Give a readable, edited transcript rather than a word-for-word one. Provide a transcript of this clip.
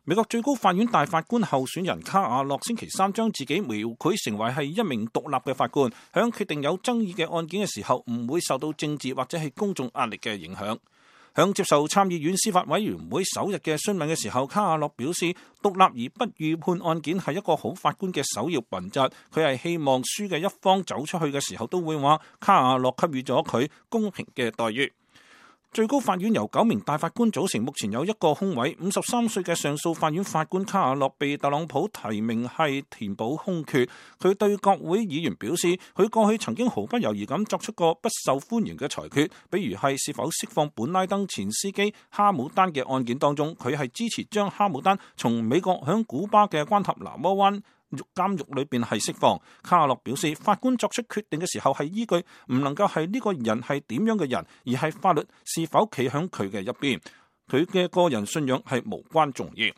美國最高法院大法官候選人卡瓦諾星期三將自己描繪成為係一名獨立嘅法官，響決定有爭議嘅案件嘅時候，唔會受到政治或者係公眾壓力嘅影響。響接受參議院司法委員會首日嘅詢問嘅時候，卡瓦諾表示，獨立而不預判案件係一個好法官嘅首要品質。佢係希望輸嘅一方走出去嘅時候都會話，卡瓦諾給予咗佢公平嘅待遇。最高法院由9名大法官組成，目前有一個空位。53歲嘅上訴法院法官卡瓦諾被特朗普提名係填補空缺。佢對國會議員表示，佢過去曾經毫不猶豫咁作出過不受歡迎嘅裁決，比如係是否釋放本拉登前司機哈姆丹嘅案件當中，佢係支持將哈姆丹從美國響古巴嘅關塔那摩灣監獄裏邊係釋放。卡瓦諾表示，法官作出決定嘅時候係依據唔能夠係呢個人係點樣嘅人，而係法律是否企響佢嘅一邊。佢嘅個人信仰係無關重要。